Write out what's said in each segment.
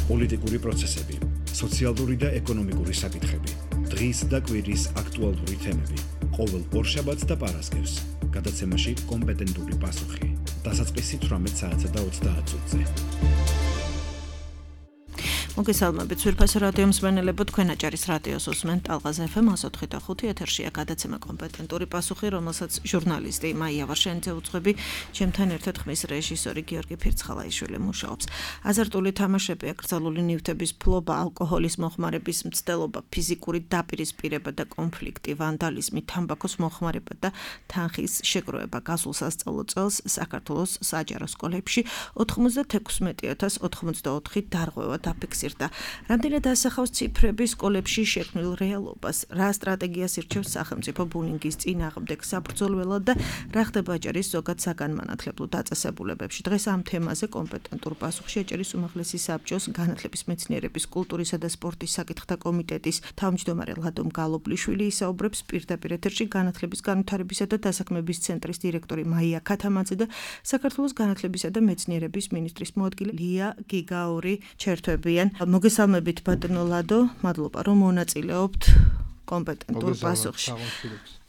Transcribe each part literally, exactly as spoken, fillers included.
პოლიტიკური პროცესები, სოციალური და ეკონომიკური საკითხები, დღის და კვირის აქტუალური თემები, ყოველ ორშაბათს და პარასკევს, გადაცემაში კომპეტენტური პასუხი, დასაწყისი თვრამეტ საათსა და ოცდაათ წუთზე. მოგესალმებით, სვირფასო რადიო მსმენელებო, თქვენ აჭარის რადიოს უსმენთ ტალღაზე ეფ ემ εκατოთხი და ხუთი ეთერშია გადაცემა კომპეტენტური პასუხი, რომელსაც ჟურნალისტი მაია ვარშენიძე უძღვები, ჩემთან ერთად ხმის რეჟისორი გიორგი ფირცხალაიშვილი მუშაობს. აზარტული თამაშები, აკრძალული ნივთების ფლობა, ალკოჰოლის მოხმარების მცდელობა, ფიზიკური დაპირისპირება და კონფლიქტი, ვანდალიზმი, თამბაქოს მოხმარება და თანხის შეგროვება გასულ სასწავლო წელს საქართველოს საჯარო სკოლებში ოცდაექვსი ათას ოცდაოთხი დარღვევა დაფიქსირდა. რამდენად ასახავს ციფრები სკოლებში შექმნილ რეალობას, რა სტრატეგიას ირჩევს სახელმწიფო ბულინგის წინააღმდეგ საბრძოლველად და რა ხდება აჭარის ზოგად საგანმანათლებლო დაწესებულებებში. დღეს ამ თემაზე კომპეტენტურ პასუხში აჭარის უმაღლესი საბჭოს განათლების მეცნიერების, კულტურისა და სპორტის საკითხთა კომიტეტის თავმჯდომარე ლადომ გალობლიშვილი ისაუბრებს პირდაპირ ეთერში განათლების განვითარებისა და დასაქმების ცენტრის დირექტორი მაია ქათამაძე და საქართველოს განათლებისა და მეცნიერების მინისტრის მოადგილე ლია გიგაური ჩერთვებიან. მოგესალმებით ბატონო ლადო, მადლობა რომ მონაწილეობთ კომპეტენტურ პასუხში.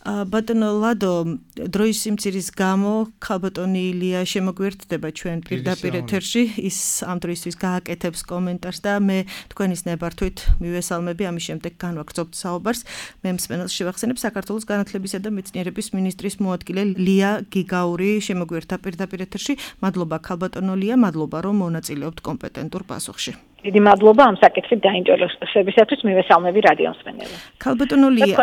ბატონო ლადო, დროის სიმცირის გამო ქალბატონი ილია შემოგვერთდება ჩვენ პირდაპირ ეთერში, ის ამ დროისთვის გააკეთებს კომენტარს და მე თქვენის ნებართვით მივესალმები, ამის შემდეგ განვაგრძობთ საუბარს. მე მსმენელს შევახსენებ, საქართველოს განათლებისა და მეცნიერების მინისტრის მოადგილე ლია გიგაური შემოგვერთა პირდაპირ ეთერში. მადლობა ქალბატონო ლია, მადლობა რომ მონაწილეობთ კომპეტენტურ პასუხში. დიდი მადლობა ამ საკითხით დაინტერესებისათვის, მივესალმები რადიო მსმენელებს. ქალბატონო ლია.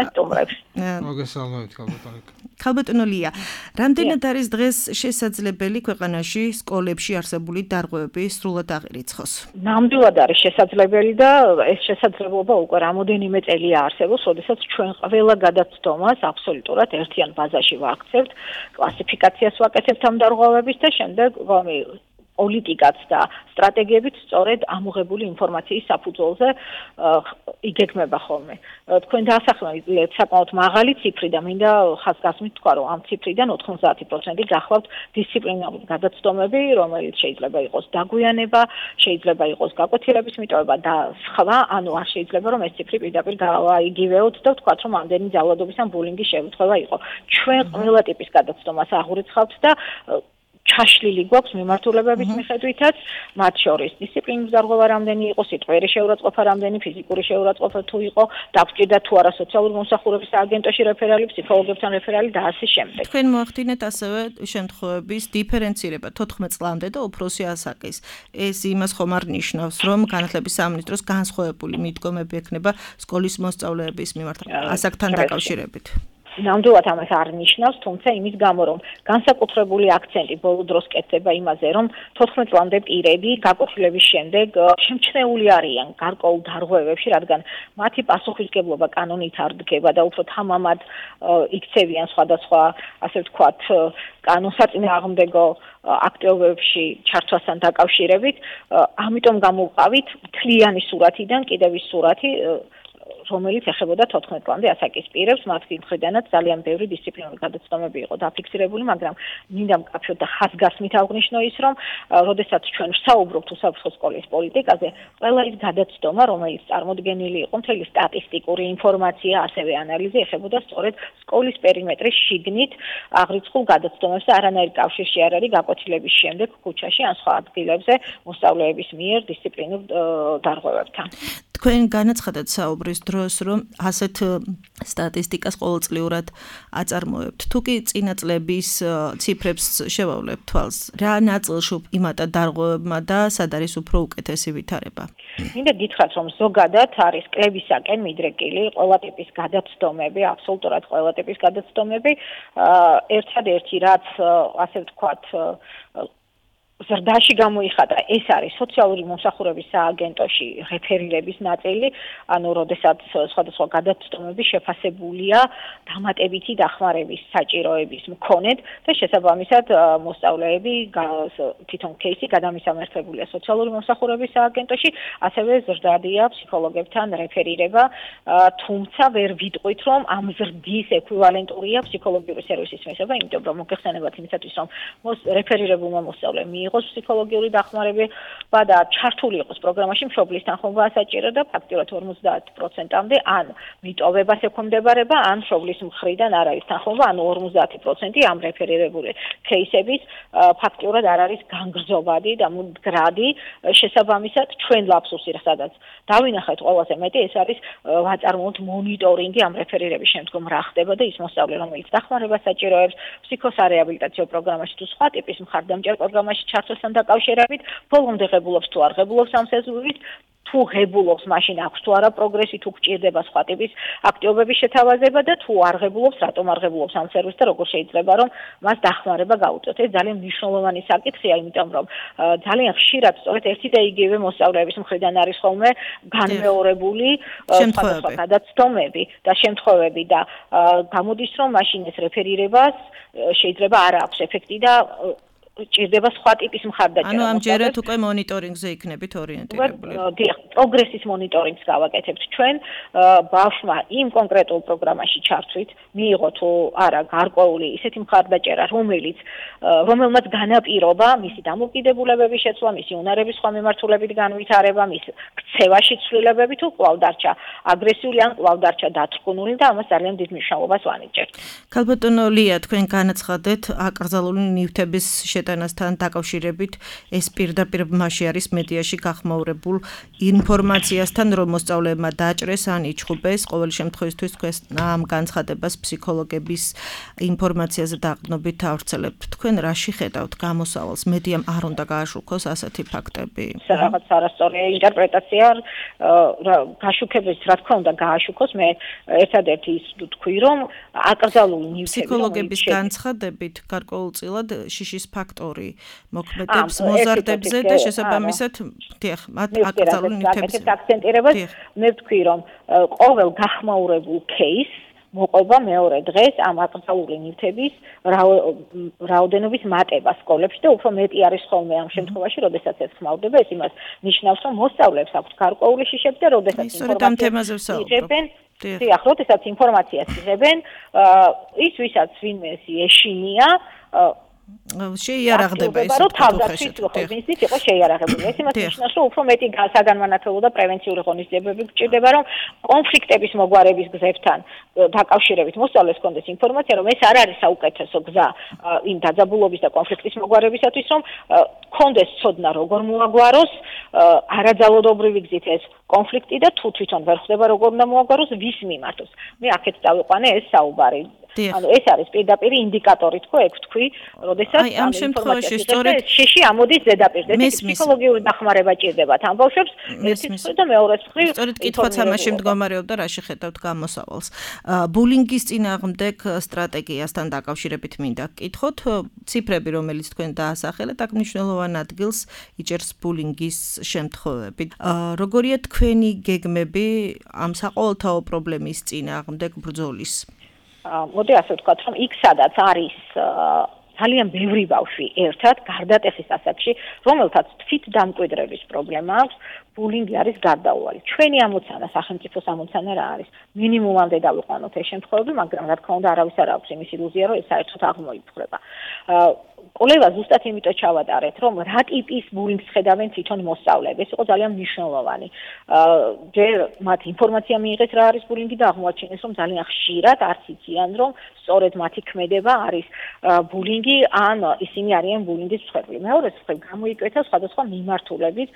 მოგესალმებით ქალბატონო. ქალბატონო ლია, რამდენად არის დღეს შესაძლებელი ქვეყანაში სკოლებში არსებული დარღვევები სრულად აღირიცხოს? ნამდვილად არის შესაძლებელი და ეს შესაძლებლობა უკვე რამოდენიმე წელია არსებობს, როდესაც ჩვენ ყველა გადაცდომას აბსოლუტურად ერთიან ბაზაში ვაქცევთ, კლასიფიკაციას ვაკეთებთ ამ დარღვევების და შემდეგ პოლიტიკაც და სტრატეგიებით სწორედ ამოღებული ინფორმაციის საფუძველზე იგეგმება ხოლმე. თქვენ დაასახელებთ საკმაოდ მაღალი ციფრი და მინდა ხაზგასმით თქვა, რომ ამ ციფრიდან ოცდაათი პროცენტი გახლავთ დისციპლინარული გადაცდომები, რომელიც შეიძლება იყოს დაგვიანება, შეიძლება იყოს გაკვეთილების მიტოვება და სხვა, ანუ არ შეიძლება რომ ეს ციფრი პირდაპირ გაიგივეოთ და ვთქვათ, რომ ამდენი ძალადობის ან ბულინგის შემთხვევა იყო. ჩვენ ყველა ტიპის გადაცდომას აღურიცხავთ და ჩაშლილი გვაქვს მიმართულებების მიხედვითაც, მათ შორის დისციპლინის დარღვევა რამდენი იყო, სიტყვიერი შეურაცხყოფა რამდენი, ფიზიკური შეურაცხყოფა თუ იყო, დაგვჭირდა თუ არა სოციალური მომსახურების სააგენტოში რეფერალი, ფსიქოლოგებთან რეფერალი და ასე შემდეგ. თქვენ მოახდინეთ ასევე შემთხვევების დიფერენცირება თოთხმეტ წლამდე და უფროსი ასაკის. ეს იმას ხომ არ ნიშნავს, რომ განათლების სამინისტროს განსხვავებული მიდგომები ექნება სკოლის მოსწავლეების მიმართ ასაკთან დაკავშირებით. ნამდვილად ამას არ ნიშნავს, თუმცა იმის გამო, რომ განსაკუთრებული აქცენტი ბოლო დროს კეთდება იმაზე, რომ თოთხმეტ წლამდე პირები გაკვეთილების შემდეგ შემჩნეული არიან გარკვეულ დარღვევებში, რადგან მათი პასუხისმგებლობა კანონით არ დგება და უფრო თამამად იქცევიან სხვადასხვა, ასე ვთქვათ, კანონსაწინააღმდეგო აქტივობებში ჩართვასთან დაკავშირებით, ამიტომ გამოვყავით მთლიანი სურათიდან კიდევ ის სურათი, რომელიც ეხებოდა თოთხმეტ წლამდე ასაკის პირებს, მათი მხრიდანაც ძალიან ბევრი დისციპლინური გადაცდომები იყო დაფიქსირებული, მაგრამ მინდა მკაფიოდ და ხაზგასმით აღვნიშნო ის, რომ როდესაც ჩვენ ვსაუბრობთ უსაფრთხო სკოლის პოლიტიკაზე, ყველა ის გადაცდომა, რომელიც წარმოდგენილი იყო, მთელი სტატისტიკური ინფორმაცია, ასევე ანალიზი ეხებოდა სწორედ სკოლის პერიმეტრის შიგნით აღრიცხულ გადაცდომებს და არანაირ კავშირში არ არის გაკვეთილების შემდეგ ქუჩაში ან სხვა ადგილებზე მოსწავლეების მიერ დისციპლინურ დარღვევებთან. თქვენ განაცხადეთ საუბრის დროს, რომ ასეთ სტატისტიკას ყოველწლიურად აწარმოებთ. თუ კი წინა წლების ციფრებს შევავლებთ თვალს, რა ნაწილში იმატა დარღვევებმა და სად არის უფრო უკეთესი ვითარება? მინდა გითხრათ, რომ ზოგადად არის კლებისაკენ მიდრეკილი ყველა ტიპის გადაცდომები, აბსოლუტურად ყველა ტიპის გადაცდომები. ერთადერთი რაც ასე ვთქვათ ზრდაში გამოიხატა, ეს არის სოციალური მომსახურების სააგენტოში რეფერირების ნაწილი, ანუ როდესაც სხვადასხვა გადაცდომები შეფასებულია დამატებითი დახმარების საჭიროების მქონედ და შესაბამისად მოსწავლეები თვითონ кейსი გადამისამართებულია სოციალური მომსახურების სააგენტოში, ასევე ზრდადია ფსიქოლოგებთან რეფერირება, თუმცა ვერ ვიტყვით, რომ ამ ზრდის ეკვივალენტურია ფსიქოლოგიური სერვისის მიღება, იმიტომ რომ მოგეხსენებათ იმისათვის, რომ რეფერირებულმა მოსწავლემ მიიღოს ფსიქოლოგიური დახმარება და ჩართული იყოს პროგრამაში მშობლის თანხმობა საჭირო და ფაქტიურად ორმოცდაათ პროცენტამდე ან მიტოვებას ექვემდებარება, ან მშობლის მხრიდან არ არის თანხმობა, ანუ ორმოცდაათი პროცენტი ამ რეფერირებული кейსების ფაქტიურად არ არის განგრძობადი და მდგრადი, შესაბამისად ჩვენ ლაფსუსი, სადაც დავინახეთ ყველაზე მეტი, ეს არის ვაწარმოოთ მონიტორინგი ამ რეფერირების შემდგომ რა ხდება და ის მოსწავლე, რომელიც დახმარებას საჭიროებს ფსიქოსარეაბილიტაციო პროგრამაში თუ სხვა ტიპის მხარდამჭერ პროგრამაში ჩართვასთან დაკავშირებით, ბოლომდე ღებულობს თუ არ ღებულობს ამ სეზონით, თუ ღებულობს, მაშინ აქვს თუ არა პროგრესი, თუ გჭირდება სხვა ტიპის აქტივობების შეთავაზება და თუ არ ღებულობს, რატომ არ ღებულობს ამ სერვისს და როგორ შეიძლება რომ მას დახმარება გაუწიოთ. ეს ძალიან მნიშვნელოვანი საკითხია, იმიტომ რომ ძალიან ხშირად სწორედ ერთი და იგივე მოსწავლეების მხრიდან არის ხოლმე განმეორებული სხვადასხვა გადაცდომები და შემთხვევები და გამოდის რომ მაშინ ეს რეფერირებას შეიძლება არ აქვს ეფექტი და ჭირდება სხვა ტიპის მხარდაჭერა. ანუ ამჯერად უკვე მონიტორინგზე იქნებით ორიენტირებული. დიახ, პროგრესის მონიტორინგს გავაკეთებთ ჩვენ, ბავშვმა იმ კონკრეტულ პროგრამაში ჩართვით, მიიღო თუ არა გარკვეული ისეთი მხარდაჭერა, რომელიც რომელმაც განაპირობა მისი დამოკიდებულებების შეცვლა, მისი უნარების სხვა მიმართულებით განვითარება, მის ქცევაში ცვლილებები თუ კვლავ დარჩა აგრესიული ან კვლავ დარჩა დათრგუნული და ამას ძალიან დიდ მნიშვნელობას ვანიჭებთ. ქალბატონო ლია, თქვენ განაცხადეთ აკრძალული ნივთების შეტანასთან დაკავშირებით ეს პირდაპირ მასში არის მედიაში გახმაურებულ ინფორმაციასთან, რომ მოსწავლეებმა დაჭრეს ან იჩხუბეს. ყოველი შემთხვევისთვის თქვენ ამ განცხადებას ფსიქოლოგების ინფორმაციაზე დაყრდნობით ავრცელებთ. თქვენ რაში ხედავთ გამოსავალს? მედიამ არ უნდა გააშუქოს ასეთი ფაქტები. რაღაც არასწორი ინტერპრეტაცია გაშუქების, რა თქმა უნდა, გააშუქოს. მე ერთადერთი ის ვთქვი, რომ აკრძალული ნივთები ფსიქოლოგების განცხადებით გარკვეულწილად შიშის ფაქტორი მოქმედებს მოზარდებზე და შესაბამისად დიახ, მათ აკრძალული ნივთების აქცენტირებას მე ვთქვი, რომ ყოველ გახმაურებულ кейსს მოყვება მეორე დღეს ამ აკრძალული ნივთების რაოდენობის მატება სკოლებში და უფრო მეტი არის ხოლმე ამ შემთხვევაში, როდესაც ეს ხმაურდება, ეს იმას ნიშნავს, რომ მოსწავლეებს აქვთ გარკვეული შიშები და როდესაც ინფორმაციას იღებენ, დიახ, როდესაც ინფორმაციას იღებენ, ის ვისაც ვინმეს ეშინია შეიარაღდება ეს თავდაცვის ხოხებისთვის იყო შეიარაღებული. ეს იმას ნიშნავს, რომ უფრო მეტი საგანმანათლებლო და პრევენციული ღონისძიებები გჭირდება, რომ კონფლიქტების მოგვარების გზებთან დაკავშირებით მოსწავლეს კონდეს ინფორმაცია, რომ ეს არ არის საუკეთესო გზა იმ დაძაბულობის და კონფლიქტის მოგვარებისათვის, რომ კონდეს ცოდნა როგორ მოაგვაროს არაძალადობრივი გზით ეს კონფლიქტი და თუ თვითონ ვერ ხდება როგორ უნდა მოაგვაროს, ვის მიმართოს. მე აქეთ დავიყვანე ეს საუბარი. ანუ ეს არის პირდაპირ ინდიკატორი თქო, ეგ თქვი, როდესაც ამ შემთხვევაში სწორედ შეში ამოდის ზედაპირზე. ეს ფსიქოლოგიური დახმარება ჭირდებათ ამ ბავშვებს, ერთი მხრივ და მეორე მხრივ. სწორედ კითხვაც ამაში მდგომარეობდა, რა შეხედავთ გამოსავალს. ბულინგის წინააღმდეგ სტრატეგიასთან დაკავშირებით მინდა გკითხოთ, ციფრები, რომელიც თქვენ დაასახელეთ, აქ მნიშვნელოვან ადგილს იჭერს ბულინგის შემთხვევები. როგორია თქვენი გეგმები ამ საყოველთაო პრობლემის წინააღმდეგ ბრძოლის? მოდი ასე ვთქვათ, რომ იქ სადაც არის ძალიან ბევრი ბავშვი ერთად გარდატეხის ასაკში, რომელთაც თვით დამკვიდრების პრობლემა აქვს, ბულინგი არის გარდაუვალი. ჩვენი ამოცანა, სახელმწიფოს ამოცანა რა არის? მინიმუმამდე დავიყვანოთ ეს შემთხვევები, მაგრამ რა თქმა უნდა არავის არ აქვს იმის ილუზია, რომ ეს საერთოდ აღმოიფხვრება. კვლევა ზუსტად იმიტომ ჩავატარეთ, რომ რა ტიპის ბულინგს ხედავენ თვითონ მოსწავლეები. ეს იყო ძალიან მნიშვნელოვანი. ჯერ მათ ინფორმაცია მიიღეს რა არის ბულინგი და აღმოაჩინეს, რომ ძალიან ხშირად არც იციან, რომ სწორედ მათი ქმედება არის ბულინგი, ან ისინი არიან ბულინგის მსხვერპლი. მეორე მხრივ გამოიკვეთა სხვადასხვა მიმართულებით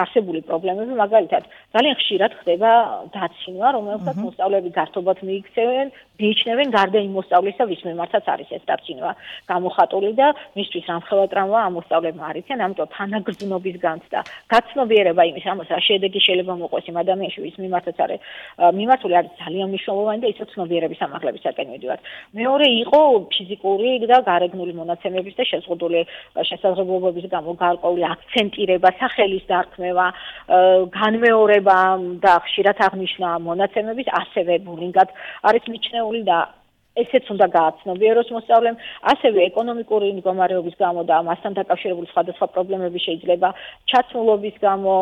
არსებული პრობლემები, მაგალითად, ძალიან ხშირად ხდება დაცინვა, რომელსაც მოსწავლეები გართობად მიიქცევენ, მიიჩნევენ გარდა იმ მოსწავლისა, ვის მიმართაც არის ეს დაცინვა გამოხატული და მისთვის რამხელა ტრავმა ამ მოსწავლებმა არ იციან, ამიტომ თანაგრძნობის განცდა, გაცნობიერება იმის, ამას რა შედეგი შეიძლება მოყვეს იმ ადამიანში, ვის მიმართაც არის მიმართული, არის ძალიან მნიშვნელოვანი და ისო ცნობიერების ამაღლებისაკენ მიდივართ. მეორე იყო ფიზიკური და გარეგნული მონაცემების და შეზღუდული შესაძლებლობების გამო გარკვეული აქცენტირება, სახელის დარქმევა, განმეორება და ხშირად აღნიშნა მონაცემების ასევე ბულინგად არის მიჩნეული და ესეც უნდა გააცნობიეროს მოსწავლემ, ასევე ეკონომიკური მდგომარეობის გამო და მასთან დაკავშირებული სხვადასხვა პრობლემები შეიძლება ჩაცმულობის გამო,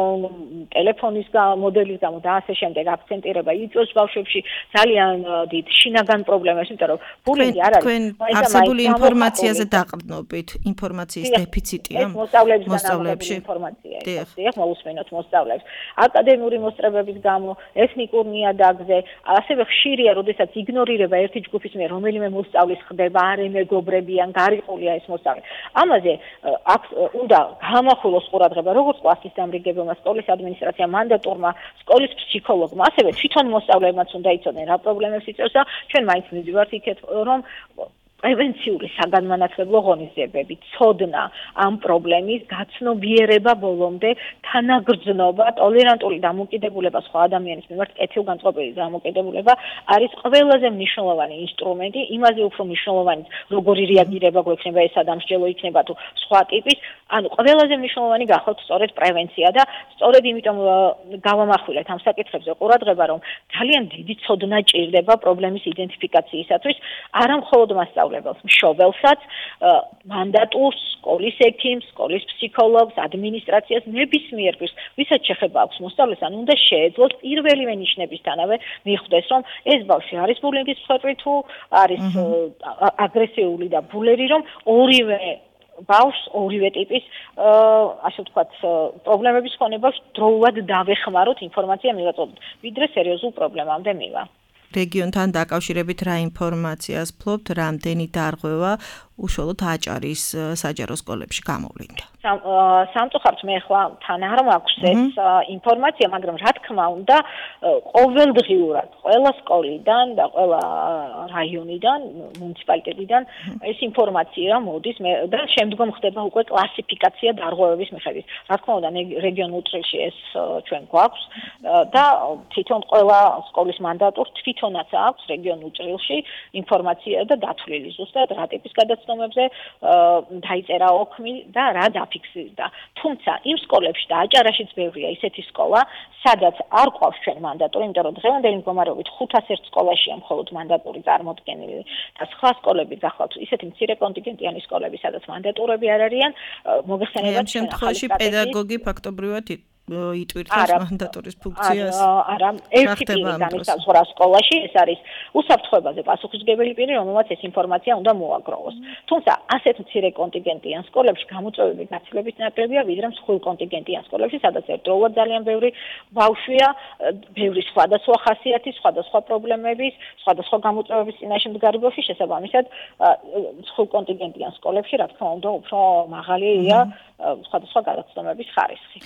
ტელეფონის მოდელის გამო და ასე შემდეგ აქცენტირება იწვევს ბავშვებში ძალიან დიდ შინაგან პრობლემებს, იმიტომ რომ ბულინგი არ არის. თქვენ არსებული ინფორმაციაზე დაყრდნობით, ინფორმაციის დეფიციტია მოსწავლეებში. ინფორმაცია ეს მოусმინოთ მოსწავლეებს. აკადემიური მოსწრებების გამო, ეთნიკურ ნიადაგზე, ასევე ხშირია, როდესაც იგნორირება ერთი ჯგუფის მიერ რომელიმე მოსწავლის ხდება, არ ემეგობრებიან, გარიყულია ეს მოსწავლე. ამაზე აქ უნდა გამახვილოს ყურადღება როგორც კლასის დამრიგებელმა, სკოლის ადმინისტრაციამ, მანდატურმა, სკოლის ფსიქოლოგმა, ასევე თვითონ მოსწავლეებმაც უნდა იცოდნენ რა პრობლემებს იწვევს და ჩვენ მაინც მივიდივართ იქეთ, რომ პრევენციული საგანმანათლებლო ღონისძიებები, ცოდნა ამ პრობლემის გაცნობიერება ბოლომდე, თანაგრძნობა, ტოლერანტული დამოკიდებულება სხვა ადამიანის მიმართ, კეთილგანწყობილი დამოკიდებულება არის ყველაზე მნიშვნელოვანი ინსტრუმენტი, იმაზე უფრო მნიშვნელოვანი, როგორი რეაგირება გვექნება ეს ადამიანსჯელო იქნება თუ სხვა ტიპის, ანუ ყველაზე მნიშვნელოვანი გახავთ სწორედ პრევენცია და სწორედ იმიტომ გავამახვილეთ ამ საკითხებზე ყურადღება, რომ ძალიან დიდი ცოდნა ჭირდება პრობლემის იდენტიფიკაციისათვის, არა მხოლოდ მასწავლებელს, მშობელსაც, მანდატურს, სკოლის ექიმს, სკოლის ფსიქოლოგს, ადმინისტრაციას, ნებისმიერ პირს, ვისაც შეხება აქვს მოსწავლეს, ან უნდა შეეძლოს პირველივე ნიშნებისთანავე მიხვდეს, რომ ეს ბავშვი არის ბულინგის მსხვერპლი თუ არის აგრესიული და ბულერი, რომ ორივე ბავშვს ორივე ტიპის ასე ვთქვათ პრობლემების მქონე ბავშვს დროულად დავეხმაროთ ინფორმაცია მივაწოდოთ, ვიდრე სერიოზულ პრობლემამდე მივა. რეგიონთან დაკავშირებით რა ინფორმაციას ფლობთ, რამდენი დარღვევა უშუალოდ აჭარის საჯარო სკოლებში გამოვლინდა? სამწუხაროდ მე ხლა თან არ მაქვს ეს ინფორმაცია, მაგრამ რა თქმა უნდა, ყოველდღიურად ყველა სკოლიდან და ყველა რაიონიდან, მუნიციპალიტეტიდან ეს ინფორმაცია მოდის და შემდგომ ხდება უკვე კლასიფიკაცია დარღვევების მიხედვით. რა თქმა უნდა, რეგიონულ წრილში ეს ჩვენ გვაქვს და თვითონ ყველა სკოლის მანდატურს თვითონაც აქვს რეგიონულ წრილში ინფორმაცია და დათვლილი ზუსტად რა ტიპის გადაცნობებზე დაიწერა ოქმი და რა დაფიქსირდა. თუმცა იმ სკოლებში და აჭარაშიც ბევრია ისეთი სკოლა, სადაც არ ყავს ჩვენ მანდატური, იმიტომ რომ დღევანდელი მდგომარეობით ხუთას ერთ სკოლაშია მხოლოდ მანდატური წარმოდგენილი და სხვა სკოლები გახლავთ ისეთი მცირე კონტინგენტიანი სკოლები, სადაც მანდატურები არ არიან, მოგეხსენებათ ამ შემთხვევაში პედაგოგი ფაქტობრივად იტვირთებს მანდატურის ფუნქციას. არა, ერთი პირი განიცავს სხვა სკოლაში, ეს არის უსაფრთხოებაზე პასუხისმგებელი პირი, რომელმაც ეს ინფორმაცია უნდა მოაგროვოს. თუმცა ასეთ მცირე კონტინგენტიან სკოლებში გამოწვევები გაცილებით ნაკლებია, ვიდრე მსხვილ კონტინგენტიან სკოლებში, სადაც ერთდროულად ძალიან ბევრი ბავშვია, ბევრი სხვადასხვა ხასიათის, სხვადასხვა პრობლემების, სხვადასხვა გამოწვევების წინაშე მდგარი ბავშვი, შესაბამისად, მსხვილ კონტინგენტიან სკოლებში, რა თქმა უნდა, უფრო მაღალია სხვადასხვა გადაცნობების ხარისხი.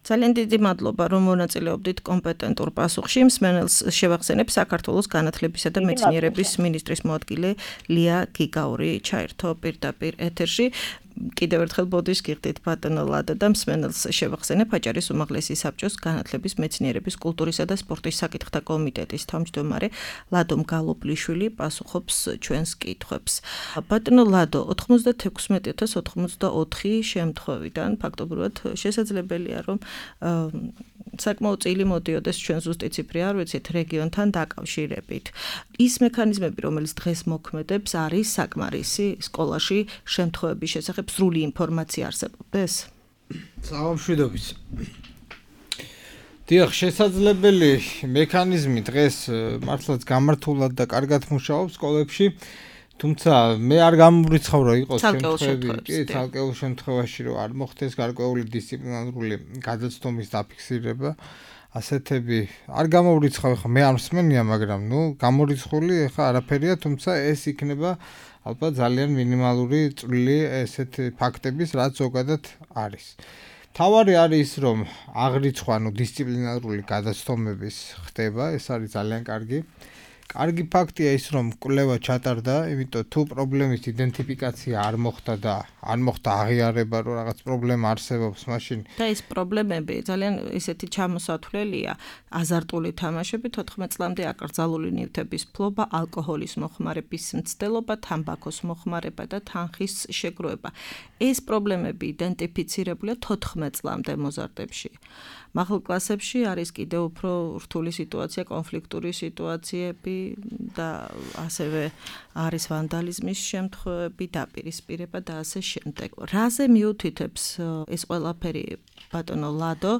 ძალიან დიდი მადლობა, რომ მონაწილეობდით კომპეტენტურ პასუხში. მსმენელს შევახსენებ საქართველოს განათლებისა და მეცნიერების მინისტრის მოადგილე ლია გიგაური ჩაერთო პირდაპირ ეთერში. კიდევ ერთხელ ბოდიშს გიხდით ბატონო ლადო და მსმენელს შევახსენებ აჭარის უმაღლესი საბჭოს განათლების, მეცნიერების, კულტურისა და სპორტის საკითხთა კომიტეტის თავმჯდომარე ლადო მგალობლიშვილი პასუხობს ჩვენს კითხვებს. ბატონო ლადო, ოთხმოცდათექვსმეტი ათას ოცდაოთხი შემთხვევიდან ფაქტობრივად შესაძლებელია, რომ საკმაოდ წილი მოდიოდეს ჩვენ ზუსტი ციფრი არ ვიცით რეგიონთან დაკავშირებით. ის მექანიზმები, რომელიც დღეს მოქმედებს, არის საკმარისი სკოლაში შემთხვევების შესახებ სრული ინფორმაცია არსებობდეს? Საამშვიდობის. დიახ, შესაძლებელი მექანიზმი დღეს მართლაც გამართულად და კარგად მუშაობს სკოლებში, თუმცა მე არ გამომრიცხავ რომ იყოს შემთხვევები, კი, ცალკეულ შემთხვევაში რომ არ მოხდეს გარკვეული დისციპლინარული გადაცნობის დაფიქსირება, ასეთები არ გამომრიცხავ, ხა მე არ მსმენია, მაგრამ ნუ გამორიცხული ხა არაფერია, თუმცა ეს იქნება ალბათ ძალიან მინიმალური წვლილი ესეთ ფაქტების, რაც ზოგადად არის. თავარი არის ის, რომ აღრიცხვა, ანუ დისციპლინარული გადაცნობების ხდება, ეს არის ძალიან კარგი. კარგი ფაქტია ის, რომ კვლევა ჩატარდა, იმიტომ თუ პრობლემის იდენტიფიკაცია არ მოხდა და არ მოხდა აღიარება, რომ რაღაც პრობლემა არსებობს, მაშინ და ეს პრობლემები ძალიან ისეთი ჩამოსათვლელია, აზარტული თამაშები, თოთხმეტ წლამდე აკრძალული ნივთების ფლობა, ალკოჰოლის მოხმარების მცდელობა, თამბაქოს მოხმარება და თანხის შეგროვება. ეს პრობლემები იდენტიფიცირებულია თოთხმეტ წლამდე მოზარდებში. მაღალ კლასებში არის კიდევ უფრო რთული სიტუაცია, კონფლიქტური სიტუაციები, და ასევე არის ვანდალიზმის შემთხვევები, დაპირისპირება და ასე შემდეგ. რაზე მიუთითებს ეს ყველაფერი ბატონო ლადო,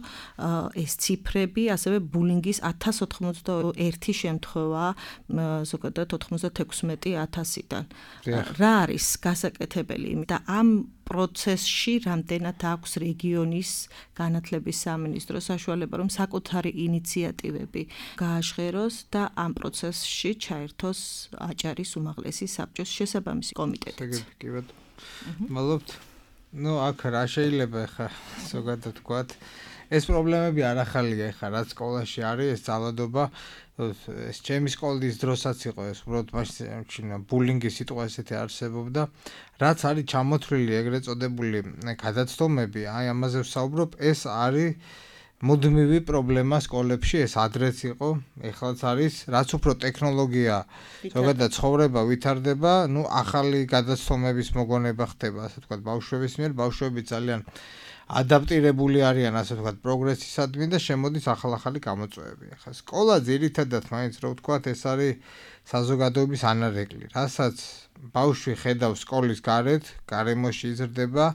ეს ციფრები, ასევე ბულინგის ათას ოთხმოცდაერთი შემთხვევა ზოგადად ოთხმოცდათექვსმეტი ათასიდან. რა არის გასაკეთებელი და ამ პროცესში რამდენად აქვს რეგიონის განათლების სამინისტრო საშუალება, რომ საკუთარი ინიციატივები გააჟღეროს და ამ პროცესში ჩაერთოს აჭარის უმაღლესი საბჭოს შესაბამისი კომიტეტიც. მადლობთ. ნუ აქ რა შეიძლება ხა ზოგადად თქვათ ეს პრობლემები არ ახალია ხა რაც სკოლაში არის ეს ძალადობა ეს ჩემი სკოლის დროსაც იყო ეს უბრალოდ მაშინ ბულინგის სიტყვა ესეთი არსებობდა რაც არის ჩამოთვლილი ეგრეთ წოდებული გადაცდომები აი ამაზე ვსაუბრობ ეს არის მუდმივი პრობლემა სკოლებში ეს ადრეც იყო ეხლაც არის რაც უფრო ტექნოლოგია ზოგადად ცხოვრება ვითარდება ნუ ახალი გადაცდომების მოგონება ხდება ასე ვთქვათ ბავშვების მიერ ბავშვები ძალიან ადაპტირებული არიან ასე ვთქვათ პროგრესისადმი და შემოდის ახალ-ახალი გამოწვევები. ახლა სკოლა ძირითადად მაინც რო ვთქვათ ეს არის საზოგადოების ანარეკლი, რასაც ბავშვი ხედავს სკოლის გარეთ, გარემოში იზრდება,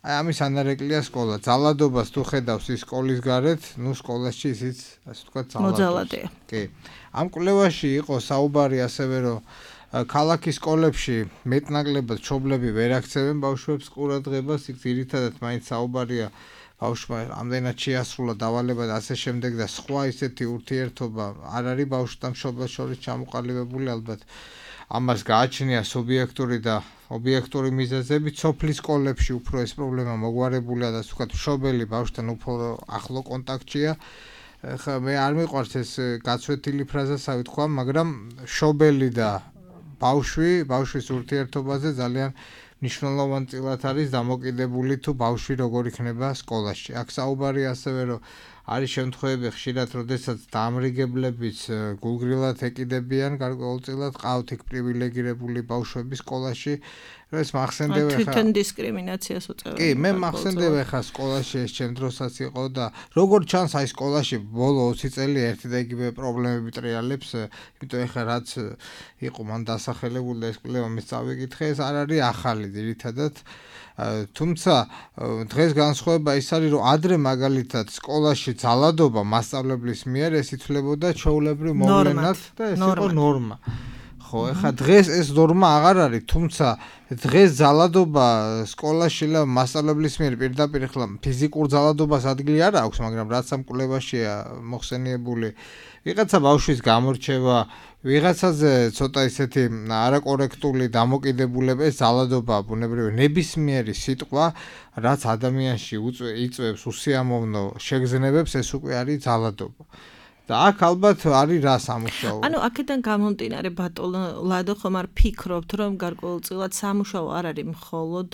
აი ამის ანარეკლია სკოლა. ძალადობას თუ ხედავს ის სკოლის გარეთ, ნუ სკოლაში ისიც ასე ვთქვათ ძალადობია. კი. ამ კვლევაში იყო საუბარი ასევე რომ ქალაქის სკოლებში მეტნაკლებად მშობლები ვერ აქცევენ ბავშვებს ყურადღებას, იქ ძირითადად მაინც საუბარია ბავშვმა ამდენად შეასრულა დავალება და ასე შემდეგ და სხვა ისეთი ურთიერთობა არ არის ბავშვთან მშობელს შორის ჩამოყალიბებული ალბათ. ამას გააჩნია სუბიექტური და ობიექტური მიზეზები, სოფლის სკოლებში უფრო ეს პრობლემა მოგვარებულია და ასე ვთქვათ მშობელი ბავშვთან უფრო ახლო კონტაქტშია. ხა მე არ მიყვარს ეს გაცვეთილი ფრაზასავი თქვა, მაგრამ მშობელი და ბავშვი, ბავშვის ურთიერთობაზე ძალიან მნიშვნელოვანი წილად არის დამოკიდებული თუ ბავშვი როგორ იქნება სკოლაში. აქ საუბარია ასევე რომ არის შემთხვევები ხშირად, როდესაც დამრიგებლებიც გულგრილად ეკიდებიან, გარკვეულწილად ყავთ იქ პრივილეგირებული ბავშვები სკოლაში. ეს მახსენდება ხა თვითონ დისკრიმინაციას უწევენ. კი, მე მახსენდება ხა სკოლაში ეს ჩემ დროსაც იყო და როგორ ჩანს აი სკოლაში ბოლო ოცი წელი ერთი და იგივე პრობლემები ტრიალებს, იმიტომ ეხა რაც იყო მან დასახელებული და ეს კვლევა მე წავიკითხე, ეს არ არის ახალი ძირითადად. თუმცა დღეს განსხვავება ის არის რომ ადრე მაგალითად სკოლაში ძალადობა მასწავლებლის მიერ ეს ითვლებოდა ჩვეულებრივ მოვლენად და ეს იყო ნორმა. ხო, ეხლა დღეს ეს ნორმა აღარ არის, თუმცა დღეს ძალადობა სკოლაში და მასწავლებლის მიერ პირდაპირ ახლა ფიზიკურ ძალადობას ადგილი არ აქვს, მაგრამ რაც ამ კვლევაშია მოხსენიებული, ვიღაცა ბავშვის გამორჩევა, ვიღაცაზე ცოტა ისეთი არაკორექტული დამოკიდებულება, ეს ძალადობა ბუნებრივი ნებისმიერი სიტყვა, რაც ადამიანში იწვევს უსიამოვნო შეგრძნებებს, ეს უკვე არის ძალადობა. და აქ ალბათ არის რა სამუშაო. ანუ აქედან გამომდინარე ბატონო ლადო ხომ არ ფიქრობთ რომ გარკვეულწილად სამუშაო არ არის მხოლოდ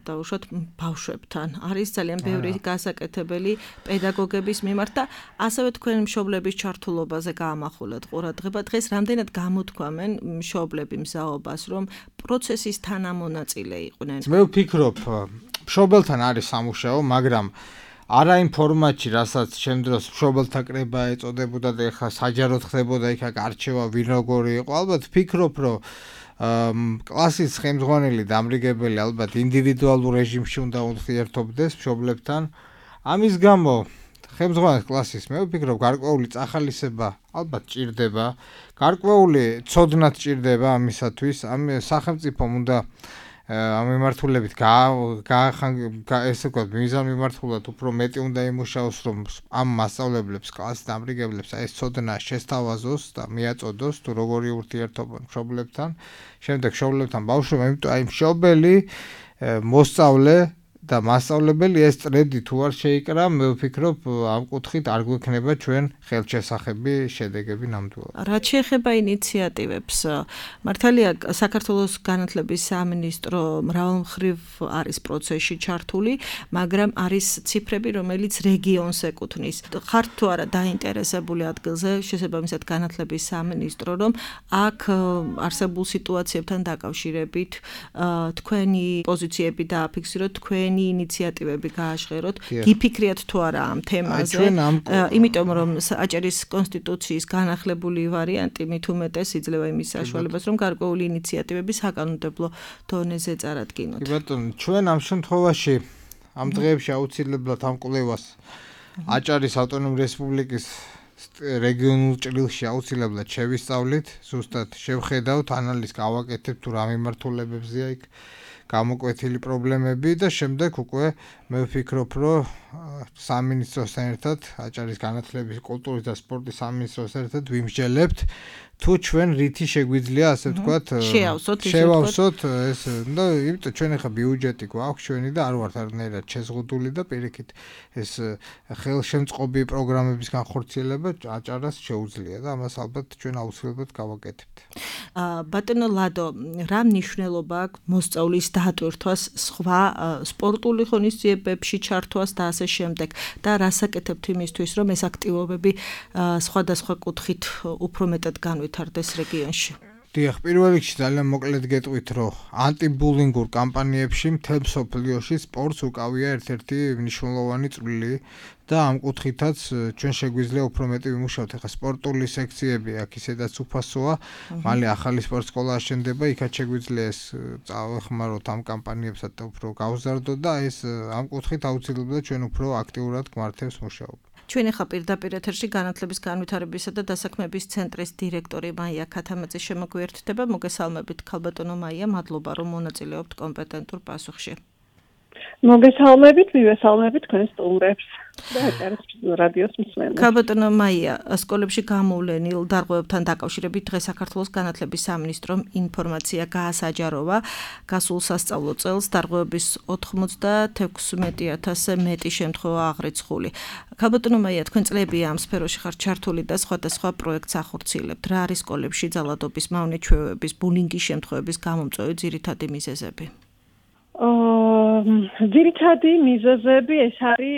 დაუშვათ ბავშვებთან. არის ძალიან ბევრი გასაკეთებელი პედაგოგების მიმართ და ასევე თქვენ მშობლების ჩართულობაზე გაამახვილეთ ყურადღება. დღეს რამდენად გამოთქვამენ მშობლები მზაობას რომ პროცესის თანამონაწილე იყვნენ. მე ვფიქრობ მშობელთან არის სამუშაო, მაგრამ არა იმ ფორმატში, რასაც ჩემ დროს მშობელთა კრება ეწოდებოდა და ეხლა საჯაროდ ხდებოდა იქ არჩევა ვინ როგორი იყო. ალბათ ვფიქრობ, რომ კლასის ხელმძღვანელი დამრიგებელი ალბათ ინდივიდუალურ რეჟიმში უნდა ურთიერთობდეს მშობლებთან. ამის გამო ხელმძღვანელის კლასის მე ვფიქრობ, გარკვეული წახალისება ალბათ ჭირდება, გარკვეული ცოდნაც ჭირდება ამისათვის, ამ სახელმწიფომ უნდა ამ მიმართულებით ესე ვთქვათ, მიზან მიმართულად უფრო მეტი უნდა იმუშაოს, რომ ამ მასწავლებლებს, კლასის დამრიგებლებს ეს ცოდნა შესთავაზოს და მიაწოდოს, თუ როგორი ურთიერთობა მშობლებთან, შემდეგ მშობლებთან ბავშვებთან, იმიტომ აი მშობელი, მოსწავლე და მასწავლებელი ეს წრედი თუ არ შეიკრა, მე ვფიქრობ, ამ კუთხით არ გვექნება ჩვენ ხელშესახები შედეგები ნამდვილად. რაც შეეხება ინიციატივებს, მართალია საქართველოს განათლების სამინისტრო მრავალმხრივ არის პროცესში ჩართული, მაგრამ არის ციფრები, რომელიც რეგიონს ეკუთვნის. ხართ თუ არა დაინტერესებული ადგილზე შესაბამისად განათლების სამინისტრო, რომ აქ არსებულ სიტუაციებთან დაკავშირებით თქვენი პოზიციები დააფიქსიროთ, თქვენი თქვენი ინიციატივები გააჟღეროთ, გიფიქრიათ თუ არა ამ თემაზე, იმიტომ რომ აჭარის კონსტიტუციის განახლებული ვარიანტი მით უმეტეს იძლევა იმის საშუალებას, რომ გარკვეული ინიციატივები საკანონმდებლო დონეზე წარადგინოთ. კი ბატონო, ჩვენ ამ შემთხვევაში ამ დღეებში აუცილებლად ამ კვლევას აჭარის ავტონომიური რესპუბლიკის რეგიონულ ჭრილში აუცილებლად შევისწავლით, ზუსტად შევხედავთ, ანალიზს გავაკეთებთ თუ რა მიმართულებებზეა იქ გამოკვეთილი პრობლემები და შემდეგ უკვე მე ვფიქრობ, რომ სამინისტროსთან ერთად, აჭარის განათლების, კულტურის და სპორტის სამინისტროსთან ერთად ვიმსჯელებთ თუ ჩვენ რითი შეგვიძლია ასე ვთქვათ შევავსოთ ეს და იმიტომ ჩვენ ახლა ბიუჯეტი გვაქვს ჩვენი და არ ვართ არანაირად შეზღუდული და პირიქით ეს ხელშემწყობი პროგრამების განხორციელება აჭარას შეუძლია და ამას ალბათ ჩვენ აუცილებლად გავაკეთებთ. ბატონო ლადო, რა მნიშვნელობა აქვს მოსწავლის დატვირთვას სხვა სპორტული ღონისძიებებში ჩართვას და ასე შემდეგ და რას აკეთებთ იმისთვის, რომ ეს აქტივობები სხვადასხვა კუთხით უფრო მეტად განვითარდეს რეგიონში? დიახ, პირველ რიგში ძალიან მოკლედ გეტყვით, რომ ანტიბულინგურ კამპანიებში მთელ მსოფლიოში სპორტს უკავია ერთ-ერთი მნიშვნელოვანი წვლილი და ამ კუთხითაც ჩვენ შეგვიძლია უფრო მეტი ვიმუშავოთ. ახლა სპორტული სექციები აქ ისედაც უფასოა, მალე ახალი სპორტ სკოლა აშენდება, იქაც შეგვიძლია ეს წავეხმაროთ ამ კამპანიებსაც და უფრო გავზარდოთ და ეს ამ კუთხით აუცილებლად ჩვენ უფრო აქტიურად გვმართებს მუშაობა. ჩვენ ახლა პირდაპირ ეთერში განათლების განვითარებისა და დასაქმების ცენტრის დირექტორი მაია ქათამაძე შემოგვიერთდება. მოგესალმებით ქალბატონო მაია, მადლობა რომ მონაწილეობთ კომპეტენტურ პასუხში. მოგესალმებით, მივესალმებით თქვენს სტუმრებს და აჭარის რადიოს მსმენელს. ქალბატონო მაია, სკოლებში გამოვლენილ დარღვევებთან დაკავშირებით დღეს საქართველოს განათლების სამინისტრომ ინფორმაცია გაასაჯაროვა. გასულ სასწავლო წელს დარღვევების ოთხმოცდაექვსი ათასზე მეტი შემთხვევა აღრიცხული. ქალბატონო მაია, თქვენ წლებია ამ სფეროში ხართ ჩართული და სხვადასხვა პროექტს ახორციელებთ. რა არის სკოლებში ძალადობის, მავნე ჩვევების, ბულინგის შემთხვევების გამომწვევი ძირითადი მიზეზები? ძირითადი მიზეზები ეს არის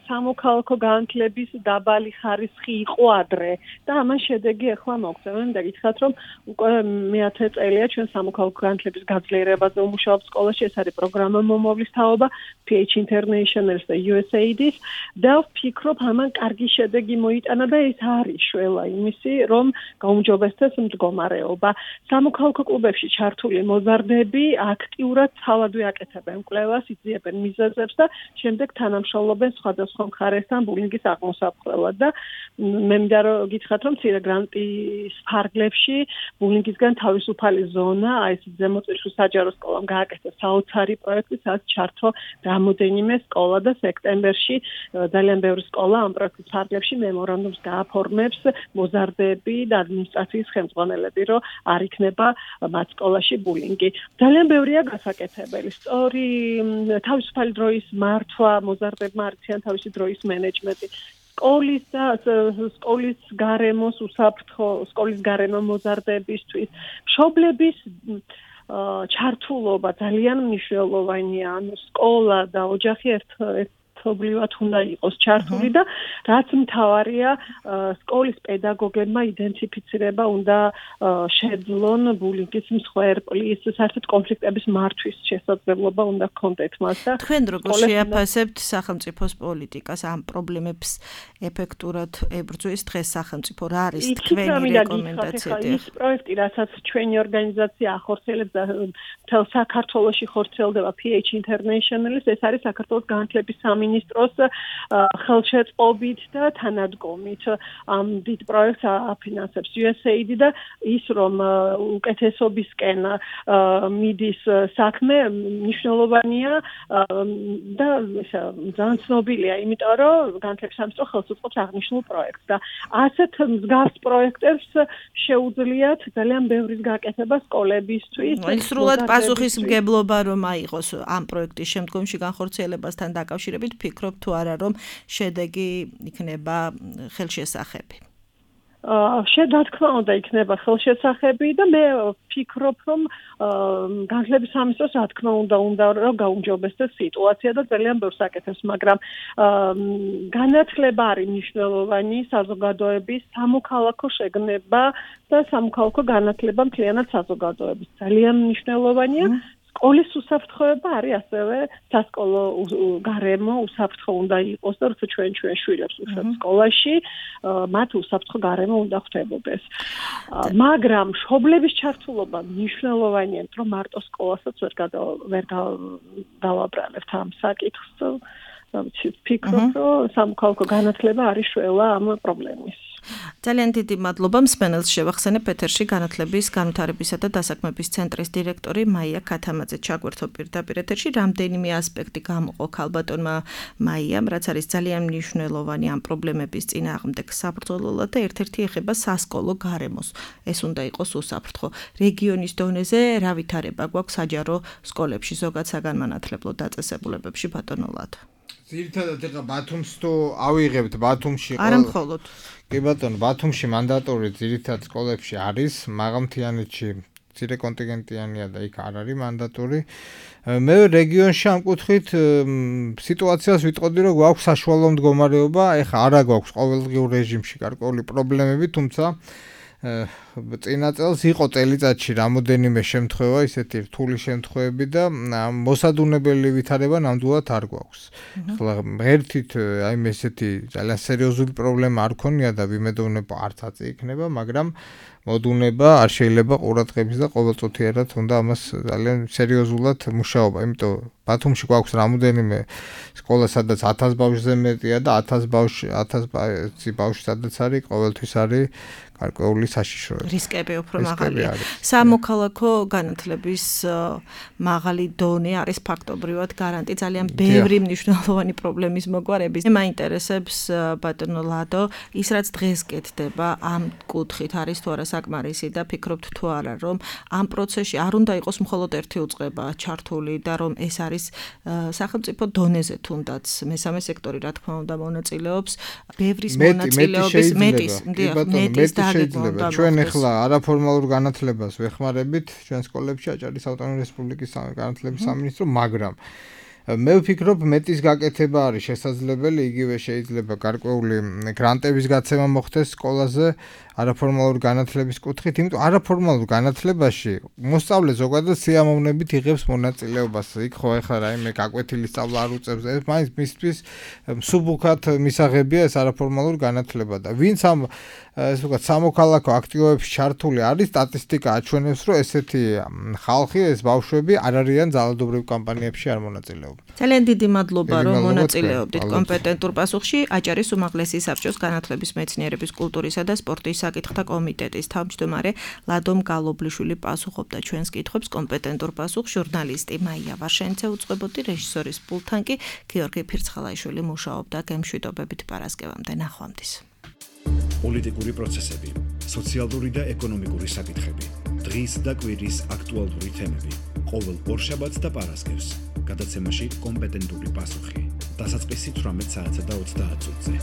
სამოქალაქო განათლების დაბალი ხარისხი იყო ადრე და ამან შედეგი ახლა მოგწევენ და გითხრათ რომ უკვე მეათე წელია ჩვენ სამოქალაქო განათლების გაძლიერებაზე ვმუშაობთ სკოლაში. ეს არის პროგრამა მომავლის თაობა P H International-ის და U S A I D-ის და ვფიქრობ ამან კარგი შედეგი მოიტანა და ეს არის შველა იმისი რომ გაუმჯობესდეს მდგომარეობა. სამოქალაქო კლუბებში ჩართული მოზარდები აქტიურად თავადვე აკეთებენ კვლევას, იძიებენ მიზეზებს და შემდეგ თანამშრომლობენ სხვადასხვა მხარესთან ბულინგის აღმოსაყრელად და მე მინდა რომ გითხრათ რომ მცირე გრანტის ფარგლებში ბულინგისგან თავისუფალი ზონა, აი ეს ზემოწირვის საჯარო სკოლამ გააკეთა საოცარი პროექტი, სადაც ჩართო რამოდენიმე სკოლა და სექტემბერში ძალიან ბევრი სკოლა ამ პროექტის ფარგლებში მემორანდუმს გააფორმებს მოზარდები და ადმინისტრაციის ხელმძღვანელები, რომ არ იქნება მათ სკოლაში ბულინგი. ძალიან ბევრია გასაკეთებელი. სწორი თავისუფალი დროის მართვა, მოზარდებმა არციან თავისი დროის მენეჯმენტი. სკოლის და სკოლის გარემოს უსაფრთხო, სკოლის გარემო მოზარდებისთვის, მშობლების ჩართულობა ძალიან მნიშვნელოვანია. ანუ სკოლა და ოჯახი ერთ ერთობლივად უნდა იყოს ჩართული და რაც მთავარია სკოლის პედაგოგებმა იდენტიფიცირება უნდა შეძლონ ბულინგის მსხვერპლის, საერთოდ კონფლიქტების მართვის შესაძლებლობა უნდა ჰქონდეთ მას და თქვენ როგორ შეაფასებთ სახელმწიფოს პოლიტიკას ამ პრობლემებს ეფექტურად ებრძვის დღეს სახელმწიფო რა არის თქვენი რეკომენდაციები? ის პროექტი, რასაც ჩვენი ორგანიზაცია ახორციელებს და მთელ საქართველოში ხორციელდება P H International-ის, ეს არის საქართველოს განათლების სამინისტროს ხელშეწყობით და თანადგომით ამ დიდ პროექტს აფინანსებს U S A I D და ის რომ უკეთესობისკენ მიდის საქმე მნიშვნელოვანია და ძალიან ცნობილია, იმიტომ რომ განათლების სამინისტრო ხელს უწყობს აღნიშნულ პროექტს და ასეთ მსგავს პროექტებს შეუძლიათ ძალიან ბევრის გაკეთება სკოლებისთვის. სრულად პასუხისმგებლობა რომ აიღოს ამ პროექტის შემდგომში განხორციელებასთან დაკავშირებით, ფიქრობ თუ არა რომ შედეგი იქნება ხელშესახები? შედა თქმა უნდა იქნება ხელშესახები და მე ვფიქრობ რომ განათლების სამინისტროს რა თქმა უნდა უნდა რომ გაუმჯობესდეს სიტუაცია და ძალიან ბევრს აკეთებს, მაგრამ განათლება არის მნიშვნელოვანი საზოგადოების სამოქალაქო შეგნება და სამოქალაქო განათლება მთლიანად საზოგადოების ძალიან მნიშვნელოვანია. სკოლის უსაფრთხოება არის ასევე სასკოლო გარემო უსაფრთხო უნდა იყოს და როცა ჩვენ ჩვენ შვილებს უშვებთ სკოლაში, მათ უსაფრთხო გარემო უნდა ხვდებოდეს. მაგრამ მშობლების ჩართულობა მნიშვნელოვანია, რომ მარტო სკოლასაც ვერ ვერ დავაბრალებთ ამ საკითხს. ფიქრობ, რომ სამოქალაქო განათლება არის შველა ამ პრობლემის. ძალიან დიდი მადლობა მსმენელს შევახსენებ ეთერში განათლების, განვითარებისა და დასაქმების ცენტრის დირექტორი მაია ქათამაძე ჩაგვერთო პირდაპირ ეთერში. რამდენიმე ასპექტი გამოყო ქალბატონმა მაიამ, რაც არის ძალიან მნიშვნელოვანი ამ პრობლემების წინააღმდეგ საბრძოლველად და ერთ-ერთი ეხება სასკოლო გარემოს. ეს უნდა იყოს უსაფრთხო. რეგიონის დონეზე რა ვითარება გვაქვს საჯარო სკოლებში, ზოგად საგანმანათლებლო დაწესებულებებში ბატონო ლადო? ძირითადად ეხა ბათუმს თუ ავიღებთ, ბათუმში არა მხოლოდ. კი ბატონო, ბათუმში მანდატორი ძირითადად სკოლებში არის, მაღალმთიანეთში მცირე კონტინგენტიანია და იქ არ არის მანდატორი. მე რეგიონში ამ კუთხით სიტუაციას ვიტყოდი, რომ გვაქვს საშუალო მდგომარეობა, ეხა არა გვაქვს ყოველდღიურ რეჟიმში გარკვეული პრობლემები, თუმცა წინა წელს იყო წელიწადში რამოდენიმე შემთხვევა, ისეთი რთული შემთხვევები და მოსადუნებელი ვითარება ნამდვილად არ გვაქვს. ახლა ღერთით აი ესეთი ძალიან სერიოზული პრობლემა არ ქონია და ვიმედოვნებ არც აწი იქნება, მაგრამ მოდუნება არ შეიძლება ყურადღების და ყოველწუთიერად უნდა ამას ძალიან სერიოზულად მუშაობა, იმიტომ ბათუმში გვაქვს რამოდენიმე სკოლა, სადაც ათას ბავშვზე მეტია და ათას ბავშვი ათას ბავშვი სადაც არის, ყოველთვის არის გარკვეული საშიშროება. რისკები უფრო მაღალია. სამოქალაქო განათლების მაღალი დონე არის ფაქტობრივად გარანტი ძალიან ბევრი მნიშვნელოვანი პრობლემის მოგვარების. მე მაინტერესებს ბატონო ლადო, ის რაც დღეს კეთდება ამ კუთხით არის თუ არა საკმარისი და ფიქრობთ თუ არა, რომ ამ პროცესში არ უნდა იყოს მხოლოდ ერთი უწყება ჩართული და რომ ეს არის სახელმწიფო დონეზე თუნდაც მესამე სექტორი რა თქმა უნდა მონაწილეობს, ბევრის მონაწილეობის მეტის, მეტის შეიძლება. ჩვენ ახლა არაფორმალურ განათლებას ვეხმარებით, ჩვენ სკოლებში აჭარის ავტონომიური რესპუბლიკის განათლების სამინისტრო, მაგრამ მე ვფიქრობ, მეტის გაკეთება არის შესაძლებელი, იგივე შეიძლება გარკვეული გრანტების გაცემა მოხდეს სკოლაზე არაფორმალურ განათლების კუთხით, იმიტომ არაფორმალურ განათლებაში მოსწავლე ზოგადად სიამოვნებით იღებს მონაწილეობას. იქ ხო ახლა რაიმე გაკვეთილი სწავლა არ უწევს, ეს მაინც მისთვის მსუბუქად მისაღებია ეს არაფორმალურ განათლება და ვინც ამ ეს ვთქვათ სამოქალაქო აქტივობებში ჩართული არის, სტატისტიკა აჩვენებს, რომ ესეთი ხალხი, ეს ბავშვები არ არიან ძალადობრივ კამპანიებში არ მონაწილეობენ. ძალიან დიდი მადლობა, რომ მონაწილეობდით კომპეტენტურ პასუხში. აჭარის უმაღლესი საბჭოს განათლების, მეცნიერების, კულტურისა და სპორტის საკითხთა კომიტეტის თავმჯდომარე ლადო მგალობლიშვილი პასუხობდა ჩვენს კითხვებს. კომპეტენტურ პასუხს ჟურნალისტი მაია ვაშენცე უწყებოდი, რეჟისორის პულტთან კი გიორგი ფირცხალაიშვილი მუშაობდა. გემშვიდობებით პარასკევამდე, ნახვამდის. პოლიტიკური პროცესები, სოციალური და ეკონომიკური საკითხები, დღის და კვირის აქტუალური თემები, ყოველ ორშაბათს და პარასკევს, გადაცემაში კომპეტენტური პასუხი, დასაწყისი თვრამეტ საათსა და ოცდაათ წუთზე.